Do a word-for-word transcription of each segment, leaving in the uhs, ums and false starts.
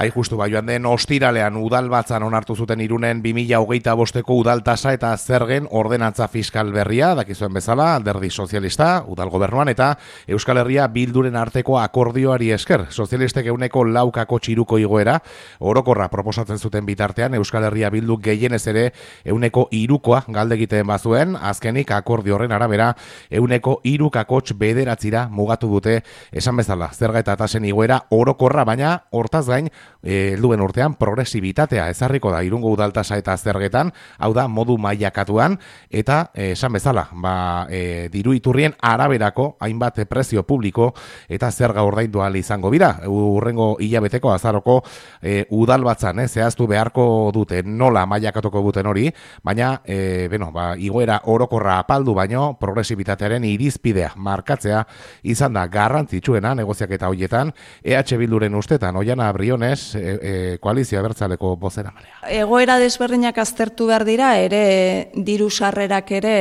Hai justu, ba, joan den ostiralean udalbatzan onartu zuten Irunen bi mila hogeita bosteko udaltasa eta zergen ordenantza fiskal berria, dakizuen bezala, Alderdi Sozialista, udal gobernuan eta Euskal Herria Bilduren arteko akordioari esker. Sozialistek euneko laukako txiruko igoera, orokorra proposatzen zuten bitartean, Euskal Herria Bildu gehienez ere euneko irukoa galde egiten bazuen, azkenik akordio horren arabera euneko irukakotx bederatzira mugatu dute, esan bezala, zerga eta tasen igoera orokorra, baina hortaz gain, helduen urtean progresibitatea ezarriko da Irungo udaltasa eta zergetan, hau da modu mailakatuan eta eh, esan bezala, ba, e, diru iturrien araberako hainbat prezio publiko eta zerga ordaindu ahal izango dira. Urrengo hilabeteko azaroko e, udalbatzan, eh, zehaztu beharko dute nola mailakatuko duten hori, baina e, bueno, ba, igoera orokorra apaldu baino progresibitatearen irizpidea markatzea izan da garrantzitsuena negoziaketa horietan. E H Bilduren ustetan Oiana Briones, e, e, koalizio abertzaleko bozeramaileak. Egoera desberdinak aztertu behar dira, ere diru sarrerak ere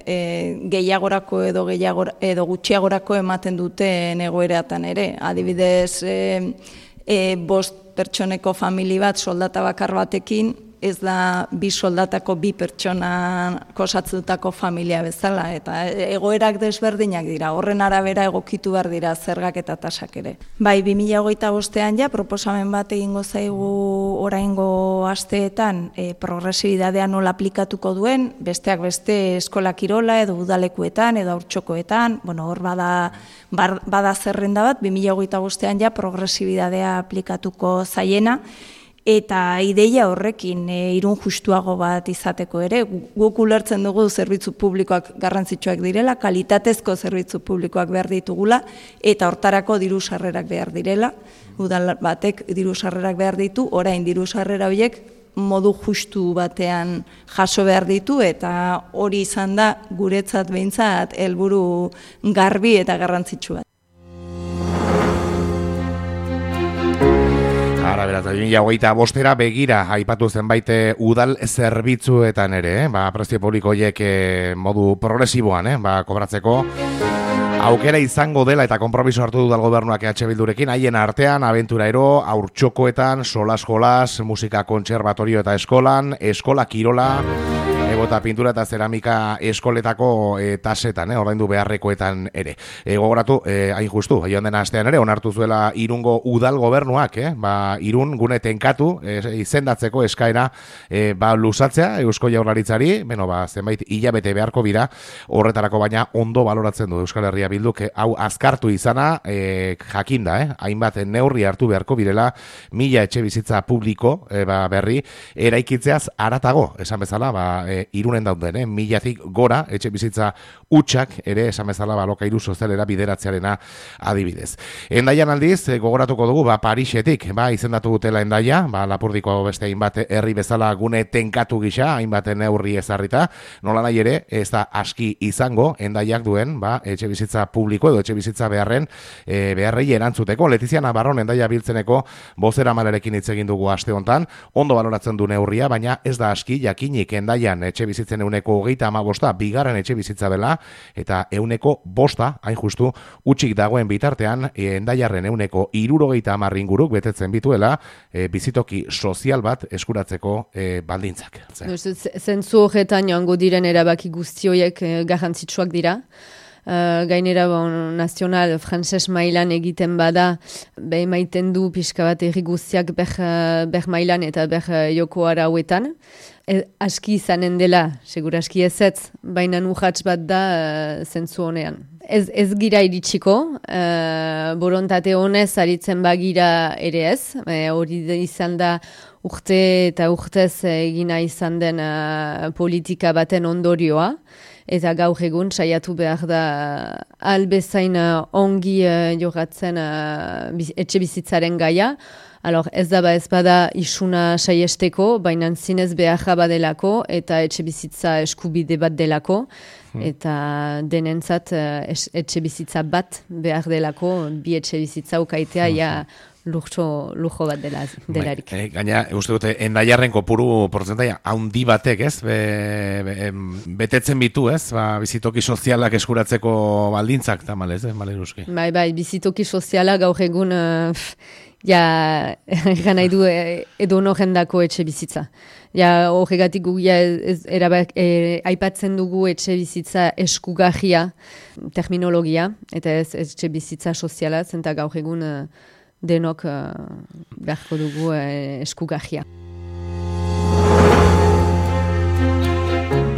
e, gehiagorako edo gehiagor, edo gutxiagorako ematen duten egoeratan ere. Adibidez, e, e, bost pertsoneko famili bat soldata bakar batekin, ez da bi soldatako bi pertsona kosatzutako familia bezala, eta egoerak desberdinak dira, horren arabera egokitu behar dira zergak eta tasak ere. Bai, bi mila hogeita bostean ja, proposamen bat egingo zaigu oraingo asteetan e, progresibidadea nola aplikatuko duen, besteak beste eskola kirola edo udalekuetan edo haurtxokoetan, bueno, hor bada, bada zerrenda bat, bi mila hogeita bostean ja progresibidadea aplikatuko zaiena, eta ideia horrekin e, Irun justuago bat izateko ere, guk ulertzen dugu zerbitzu publikoak garrantzitsuak direla, kalitatezko zerbitzu publikoak behar ditugula, eta hortarako diru sarrerak behar direla, udal batek diru sarrerak behar ditu, orain diru sarrera horiek modu justu batean jaso behar ditu, eta hori izan da guretzat behintzat helburu garbi eta garrantzitsua. Ara, beraz, bi mila hogeita bostera begira aipatu zenbait udal zerbitzuetan ere, eh? ba, prezio publiko horiek eh, modu progresiboan, eh? ba, kobratzeko aukera izango dela eta konpromiso hartu dudal gobernuak E H Bildurekin, haien artean, abenturero, haurtxokoetan, solas-jolas, musika kontserbatorio eta eskolan, eskola kirola, eta pintura eta zeramika eskoletako e, tasetan, eh, ordaindu beharrekoetan ere. E, gogoratu, e, hain justu, joan den astean ere, onartu zuela Irungo udal gobernuak, eh, ba, Irun gune tenkatu, e, izendatzeko eskaera e, ba, luzatzea, Eusko Jaurlaritzari, beno, ba, zenbait hilabete beharko bira, horretarako baina ondo baloratzen du Euskal Herria Bilduk, e, hau azkartu izana, e, jakinda, eh, hainbat neurri hartu beharko birela, mila etxe bizitza publiko, e, ba, berri, eraikitzeaz aratago, esan bezala, ba, e, Irunen dauden, eh? milatik gora, etxe bizitza utxak, ere, esan bezala, ba, lokairu sozialera bideratzearena adibidez. Endaian aldiz, gogoratuko dugu, ba, Parisetik, ba, izendatu dutela Endaia, ba, Lapurdiko beste hainbat herri bezala gune tenkatu gisa, hainbat neurri ezarrita, nola nahi ere, ez da aski izango, Endaiak duen, ba, etxe bizitza publiko edo etxe bizitza beharren, e, beharrei erantzuteko. Letizia Navarron Endaia biltzeneko bozera malerekin hitz egin dugu aste hontan, ondo baloratzen du neurria, baina ez da aski jakinik Endaian etxe bizitzen euneko hogeita ama bosta, bigarren etxe bizitza dela, eta euneko bosta, hain justu, utxik dagoen bitartean, Endaiarren euneko irurogeita hamar inguruk betetzen bituela, e, bizitoki sozial bat eskuratzeko e, baldintzak. Zentzu horretan joango diren erabaki guztioiek e, garrantzitsuak dira. Uh, gainera bon, nazional frantses mailan egiten bada behi maiten du pixka bat erri guztiak ber, ber mailan eta ber joko arauetan. E, aski izanen dela, segur aski ezetz, baina urrats bat da uh, zentzu honean. Ez, ez gira iritsiko, uh, borontate honez aritzen bagira ere ez, e, hori izan da urte eta urtez egina izan den uh, politika baten ondorioa. Eta gaur egun saiatu behar da albezain uh, ongi uh, jogatzen uh, biz, etxe bizitzaren gaia. Alor, ez da ba ez bada isuna saiesteko, baina zinez beharra badelako eta etxe bizitza eskubide bat delako. Hmm. Eta denentzat uh, etxe bizitza bat behar delako, bi etxe bizitza ukaitea, ja lujo, lujo bat dela, delarik. Bai, e, gaina, uste dute, endaiarren kopuru portzentaia haundi batek, ez? Be, be, betetzen bitu, ez? Ba, bizitoki sozialak eskuratzeko baldintzak, tamalez, ez? Maleruski. Bai, bai, bizitoki soziala gaur egun, uh, ja, egan nahi du edo jendako etxe bizitza. Ja, horregatik gu, ja, ez, erabak, e, aipatzen dugu etxe bizitza eskugarria terminologia, eta ez etxe bizitza soziala, zenta gaur egun uh, denok uh, beharko dugu uh, eskugarria.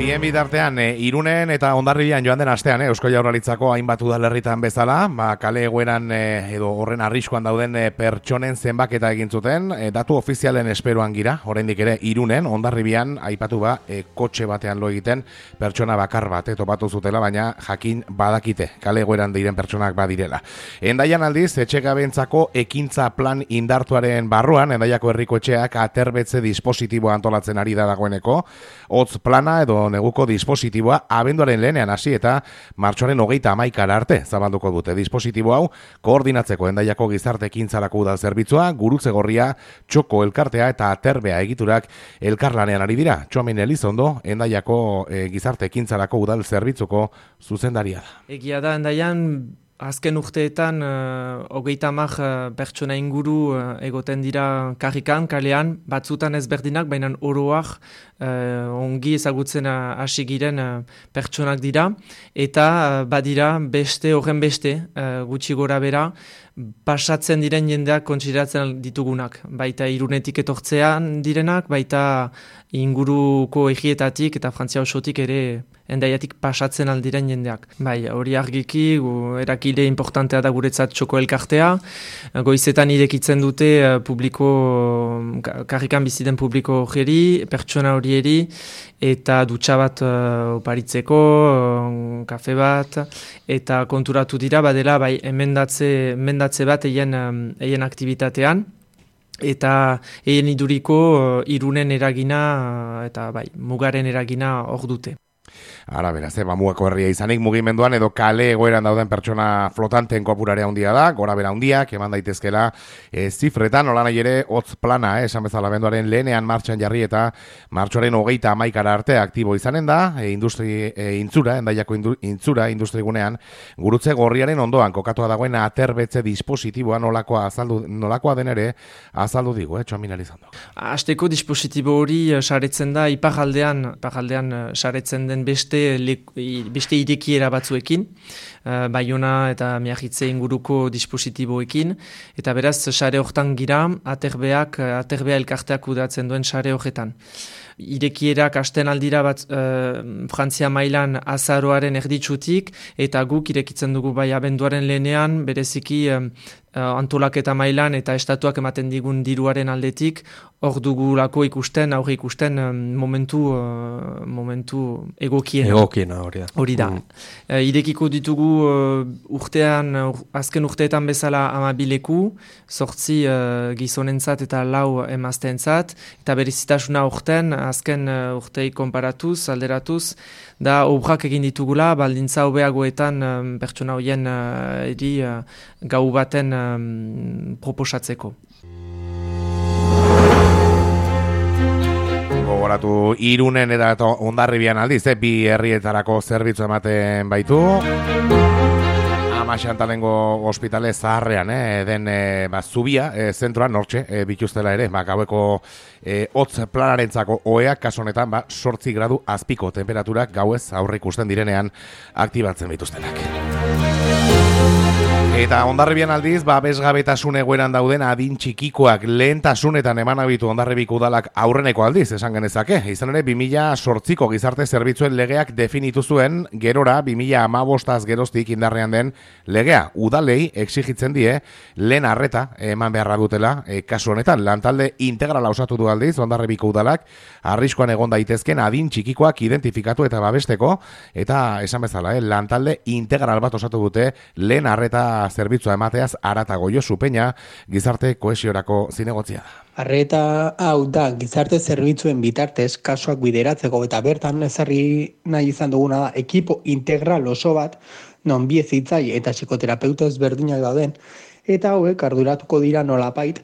Bien bitartean, e, Irunen eta Hondarribian joan den astean, e, Eusko Jaurlaritzako hainbat udalerritan bezala, ba, kale egoeran e, edo horren arriskuan dauden e, pertsonen zenbaketa egin zuten, e, datu ofizialen esperoan gira, oraindik ere Irunen, Hondarribian aipatu ba, e, kotxe batean lo egiten pertsona bakar bat, e, topatu zutela, baina jakin badakite, kale egoeran diren pertsonak badirela. Endaian aldiz, etxegabentzako ekintza plan indartuaren barruan, Endaiako herriko etxeak aterbetze dispositiboa antolatzen ari da dagoeneko, hotz plana edo neguko dispositiboa abenduaren lehenean hasi eta martxoaren hogeita hamaikara arte zabalduko dute. Dispositibo hau koordinatzeko Endaiako gizarte ekintzarako udal zerbitzua, Gurutze Gorria, Txoko elkartea eta Aterbea egiturak elkarlanean ari dira. Txomin Elizondo, Endaiako e, gizarte ekintzarako udal zerbitzuko zuzendaria da. Egia da, Endaian azken urteetan uh, hogeita hamar uh, pertsona inguru uh, egoten dira karrikan, kalean, batzutan ezberdinak, baina oroak uh, ongi ezagutzen hasi giren uh, pertsonak dira, eta uh, badira beste, horren beste, uh, gutxi gora bera, pasatzen diren jendeak kontsideratzen ditugunak. Baita Irunetik etortzean direnak, baita inguruko egietatik eta Frantzia osotik ere Endaiatik pasatzen aldiren jendeak. Bai, hori argiki, erakile importantea da guretzat Txoko elkartea. Goizetan irekitzen dute publiko, karrikan biziden publiko hori, pertsona horieri, eta dutxa bat uh, oparitzeko, uh, kafe bat, eta konturatu dira, badela, bai, emendatze, emendatze bat eien, um, eien aktivitatean, eta eien iduriko uh, Irunen eragina, uh, eta bai, mugaren eragina hor dute. Ara, beraz, eh, Mamuako herria izanik mugimenduan edo kale egoeran dauden pertsona flotanten kopurarea handia da, gora bera handiak, eman daitezkela e, zifretan, nola nahi ere, hotz plana, eh, esan bezala benduaren lehenean martxan jarri eta martxoaren hogeita hamaikara arte aktibo izanen da, e, industri e, intzura, Endaiako indu, intzura, industrigunean, Gurutze Gorriaren ondoan, kokatua dagoen aterbetze dispositiboa nolakoa, azaldu, nolakoa den ere, azaldu digu, eh, Txomin Elizando. Azteko dispositibo hori saretzen da, iparaldean, iparaldean saretzen den beste beste irekiera batzuekin, uh, Baiona eta Miagitze inguruko dispositiboekin, eta beraz, sare hortan gira, aterbeak, aterbea elkarteak kudatzen duen sare horretan. Irekierak hasten aldira bat uh, Frantzia mailan azaroaren erditsutik, eta guk irekitzen dugu bai abenduaren lehenean, bereziki uh, antolaketa mailan eta estatuak ematen digun diruaren aldetik, hor dugulako ikusten, aurre ikusten um, momentu, uh, momentu egokiena. Egokiena, hori da. Hori da. Mm. Uh, irekiko ditugu uh, urtean, uh, azken urteetan bezala amabileku, sortzi uh, gizonentzat eta lau emazteentzat, eta berezitasuna urten, azken uh, urtei konparatuz, alderatuz, da obrak egin ditugula, baldintza hobeagoetan um, pertsona horien uh, eri uh, gau baten um, proposatzeko. Gogoratu Irunen eta Hondarribian aldiz, eh, bi herrietarako zerbitzu ematen baitu. Ama Xantalengo ospitale zaharrean, eh, den eh, ba, zubia, eh, zentroan nortxe, eh, bituztela ere, ba, gaueko eh, hotz planarentzako oeak, kaso honetan, ba, sortzi gradu azpiko temperaturak gauez aurre ikusten direnean aktibatzen bituztenak. Eta Hondarribian aldiz, ba, bezgabetasun egoeran dauden adin txikikoak lehentasunetan eman abitu Hondarribiko udalak aurreneko aldiz, esan genezake. Izan ere, bi mila zortziko gizarte zerbitzuen legeak definitu zuen, gerora, bi mila hamabostaz geroztik indarrean den legea. Udalei exigitzen die, lehen arreta eman beharra dutela, e, kasu honetan, lantalde integrala osatu du aldiz, Hondarribiko udalak, arriskoan egon daitezken adin txikikoak identifikatu eta babesteko, eta esan bezala, eh, lantalde integral bat osatu dute, lehen arreta zerbitzua emateaz aratago. Josu Peña, gizarte kohesiorako zinegotzia da. Arreta hau da gizarte zerbitzuen bitartez kasuak bideratzeko eta bertan ezarri nahi izan duguna da ekipo integral oso bat non bi hezitzaile eta psikoterapeuta ezberdinak dauden eta hauek arduratuko dira nolapait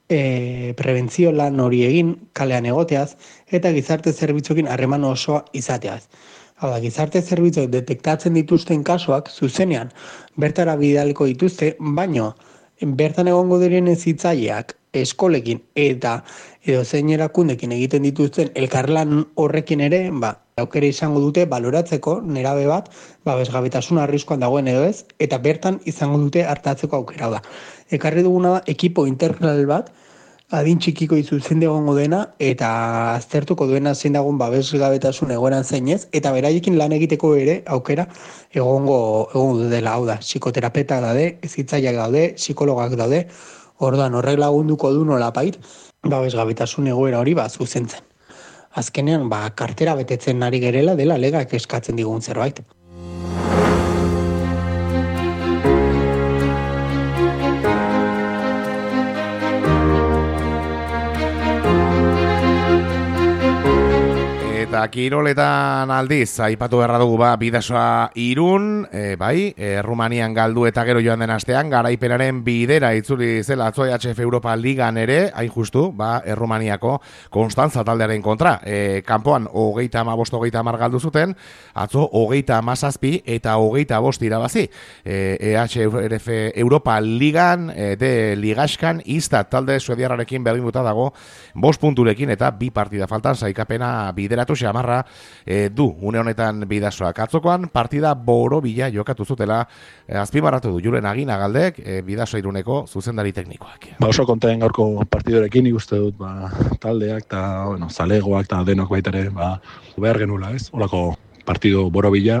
e, prebentzio lan hori egin kalean egoteaz eta gizarte zerbitzuekin harreman osoa izateaz. Hau da, gizarte zerbitzuek detektatzen dituzten kasuak zuzenean bertara bidaliko dituzte, baino bertan egongo diren hezitzaileak eskolekin eta edo zein erakundekin egiten dituzten elkarlan horrekin ere, ba, aukera izango dute baloratzeko nerabe bat babesgabetasun arriskuan dagoen edo ez, eta bertan izango dute hartatzeko aukera da. Ekarri duguna da ekipo integral bat, adin txikiko izuzen egongo dena, eta aztertuko duena zein dagoen babesgabetasun egoeran zeinez, eta beraiekin lan egiteko ere aukera egongo, egongo dela, hau da, psikoterapetak daude, hezitzaileak daude, psikologak daude, orduan horrek lagunduko du nolapait, babesgabetasun egoera hori ba zuzentzen. Azkenean, ba, kartera betetzen ari gerela dela legak eskatzen digun zerbait. Eta kiroletan aldiz, aipatu berra dugu ba, Bidasoa Irun, e, bai, e, Rumanian galdu eta gero joan den astean, garaipenaren bidera itzuli zela atzo E H F Europa Ligan ere, hain justu, ba, Errumaniako Konstantza taldearen kontra. E, kanpoan, hogeita amabost, hogeita amar galdu zuten, atzo hogeita amazazpi eta hogeita bost irabazi. E, E H F Europa Ligan, e, de Ligaskan, Istat talde suediarrarekin berdinduta dago, bost punturekin eta bi partida faltan saikapena bideratu xamarra e, du une honetan Bidasoak. Atzokoan partida borobila jokatu zutela, e, azpimarratu du Julen Aginagaldek, e, Bidasoa Iruneko zuzendari teknikoak. Ba oso konten gaurko partidorekin ikuste dut, ba, taldeak eta bueno, zalegoak eta denok baitare ba, behar genula, ez? Olako partido borobila,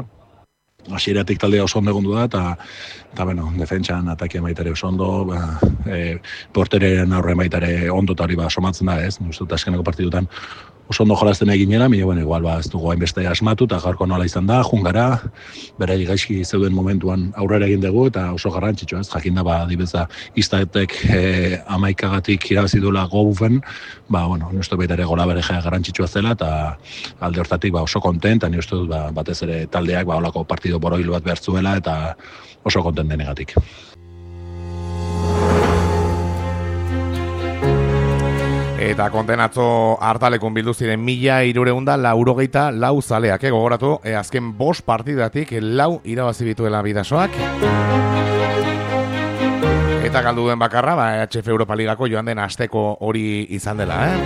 hasieratik taldea oso ondo egondu da, eta, eta bueno, defentsan atakian baitare oso ondo, ba, e, portereren aurre baitare ondo eta hori ba, somatzen da, ez? Uste dut askeneko partidutan oso ondo jolazten eginera, mire, bueno, igual, ba, ez dugu hainbeste asmatu, eta gaurko nola izan da, jungara, bere gaizki zeuden momentuan aurrera egin dugu, eta oso garrantzitsua, ez, jakinda, ba, dibeza, Istatek e, amaikagatik irabazi duela gobufen, ba, bueno, nustu baita ere gola bere garrantzitsua zela, eta alde hortatik, ba, oso kontent, eta ni uste dut, ba, batez ere taldeak, ba, olako partido boroil bat behar zuela, eta oso kontent denegatik. Eta kontenatzo hartalekun bildu ziren mila hirureunda laurogeita lau zaleak, eh, gogoratu, eh, azken bost partidatik lau irabazi bituela Bidasoak. Eta galdu duen bakarra, ba, E H F Europa Ligako joan den asteko hori izan dela, eh?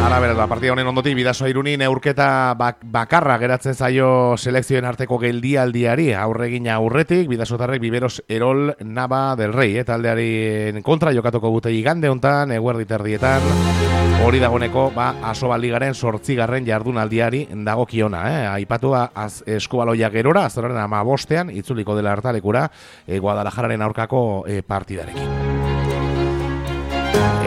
Ara beraz, ba, partida honen ondotik Bidasoa Iruni neurketa bak bakarra geratzen zaio selekzioen arteko geldialdiari aurregin aurretik, Bidasotarrek Biberos Erol Nava del Rey, eh, taldearen kontra jokatuko dute igande hontan, eguerdi terdietan, hori dagoneko, ba, Asoba Ligaren zortzigarren jardunaldiari dagokiona, eh, aipatu az Eskubaloia gerora, azoraren amabostean, itzuliko dela hartalekura, eh, Guadalajararen aurkako eh, partidarekin.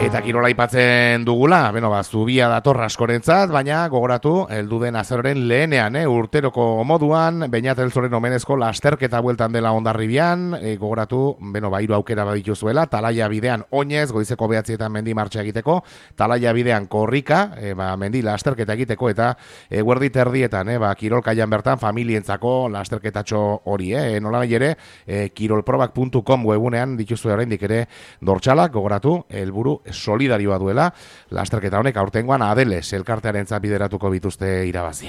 Eta kirola aipatzen dugula, beno, ba, zubia dator askorentzat, baina gogoratu, heldu den azaroren lehenean, eh, urteroko moduan, Beñat Elzoren omenezko lasterketa bueltan dela Hondarribian, eh, gogoratu, beno, ba, hiru aukera badituzuela, Talaia bidean oinez, goizeko behatzietan mendi martxa egiteko, Talaia bidean korrika, eh, ba, mendi lasterketa egiteko, eta eguerdi terdietan, eh, ba, kirolkaian bertan, familientzako lasterketatxo hori, eh, nola nahi ere, eh, kirolprobak puntu com webunean dituzu oraindik ere dortxalak, gogoratu, helburu solidarioa duela, lasterketa honek aurtengoan Adeles elkartearentzat bideratuko bituzte irabazi.